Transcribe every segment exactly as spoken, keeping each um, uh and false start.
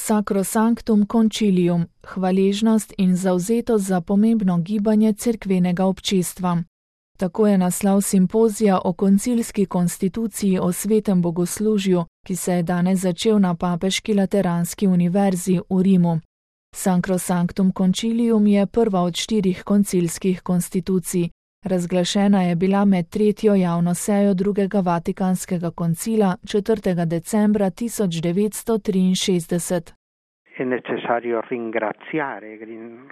Sacrosanctum Concilium, hvaležnost in zavzetost za pomembno gibanje cerkvenega občestva. Tako je naslov simpozija o koncilski konstituciji o svetem bogoslužju, ki se je danes začel na Papeški lateranski univerzi v Rimu. Sacrosanctum Concilium je prva od štirih koncilskih konstitucij. Razglašena je bila med tretjo javno sejo drugega Vatikanskega koncila četrtega decembra tisoč devetsto triinšestdeset. È necessario ringraziare,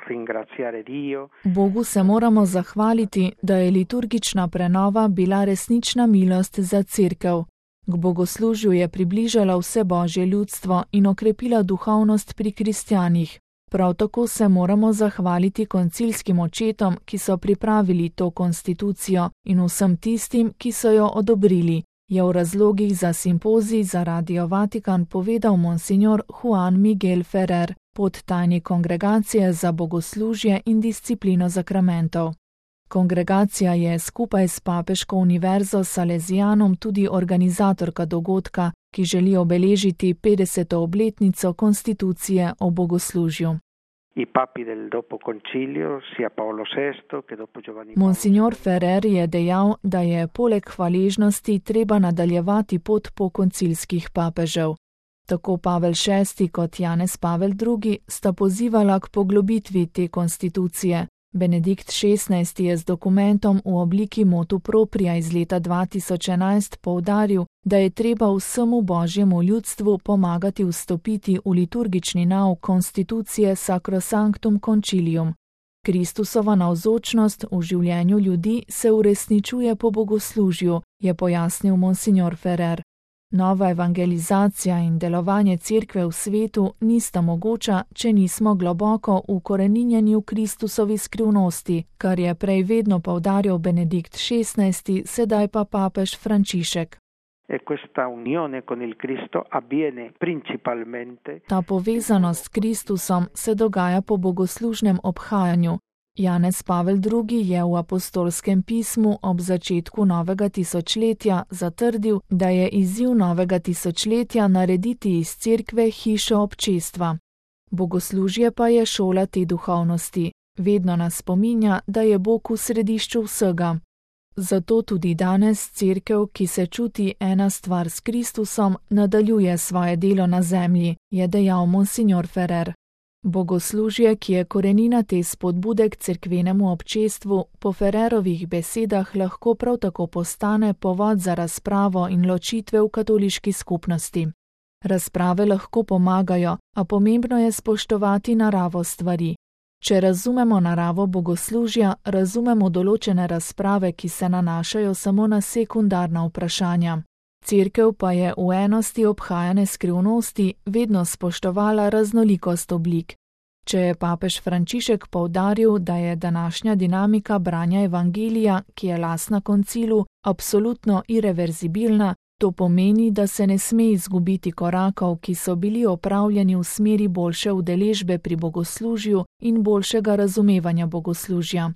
ringraziare Dio. Bogu se moramo zahvaliti, da je liturgična prenova bila resnična milost za cerkev. K bogoslužju je približala vse božje ljudstvo in okrepila duhovnost pri kristjanih. Prav tako se moramo zahvaliti koncilskim očetom, ki so pripravili to konstitucijo, in vsem tistim, ki so jo odobrili, je v razlogih za simpozij za Radio Vatikan povedal monsignor Juan Miguel Ferrer, podtajnik Kongregacije za bogoslužje in disciplino zakramentov. Kongregacija je skupaj s Papeško univerzo Salesianom tudi organizatorka dogodka, ki želi obeležiti petdeseto obletnico konstitucije o bogoslužju. Monsignor Ferrer je dejal, da je poleg hvaležnosti treba nadaljevati pot po koncilskih papežev. Tako Pavel šesti kot Janez Pavel drugi sta pozivala k poglobitvi te konstitucije. Benedikt šestnajsti je z dokumentom v obliki motu propria iz leta dva tisoč enajst poudaril, da je treba vsemu božjemu ljudstvu pomagati vstopiti v liturgični nauk konstitucije Sacrosanctum Concilium. Kristusova navzočnost v življenju ljudi se uresničuje po bogoslužju, je pojasnil monsignor Ferrer. Nova evangelizacija in delovanje cerkve v svetu nista mogoča, če nismo globoko ukoreninjeni v Kristusovi skrivnosti, kar je prej vedno poudarjal Benedikt šestnajsti, sedaj pa papež Frančišek. Ta povezanost s Kristusom se dogaja po bogoslužnem obhajanju. Janez Pavel drugi je v apostolskem pismu ob začetku novega tisočletja zatrdil, da je izziv novega tisočletja narediti iz cerkve hišo občestva. Bogoslužje pa je šola te duhovnosti. Vedno nas spominja, da je Bog v središču vsega. Zato tudi danes cerkev, ki se čuti ena stvar s Kristusom, nadaljuje svoje delo na zemlji, je dejal monsignor Ferrer. Bogoslužje, ki je korenina te spodbude k cerkvenemu občestvu, po Ferrerovih besedah lahko prav tako postane povod za razpravo in ločitve v katoliški skupnosti. Razprave lahko pomagajo, a pomembno je spoštovati naravo stvari. Če razumemo naravo bogoslužja, razumemo določene razprave, ki se nanašajo samo na sekundarna vprašanja. Cerkev pa je v enosti obhajane skrivnosti vedno spoštovala raznolikost oblik. Če je papež Frančišek poudaril, da je današnja dinamika branja evangelija, ki je lastna koncilu, absolutno irreverzibilna, to pomeni, da se ne sme izgubiti korakov, ki so bili opravljeni v smeri boljše udeležbe pri bogoslužju in boljšega razumevanja bogoslužja.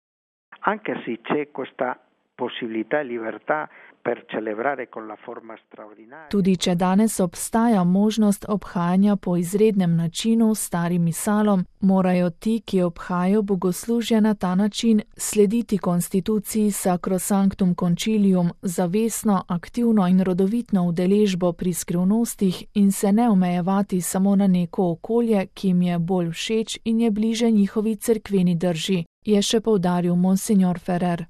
Anche se c'è questa possibilità e libertà per celebrare con la forma straordinaria. Tudi če danes obstaja možnost obhajanja po izrednem načinu s starim misalom, morajo ti, ki obhajajo bogoslužje na ta način, slediti konstituciji Sacrosanctum Concilium, zavestno, aktivno in rodovitno udeležbo pri skrivnostih in se ne omejevati samo na neko okolje, ki jim je bolj všeč in je bliže njihovi cerkveni drži, je še poudaril monsignor Ferrer.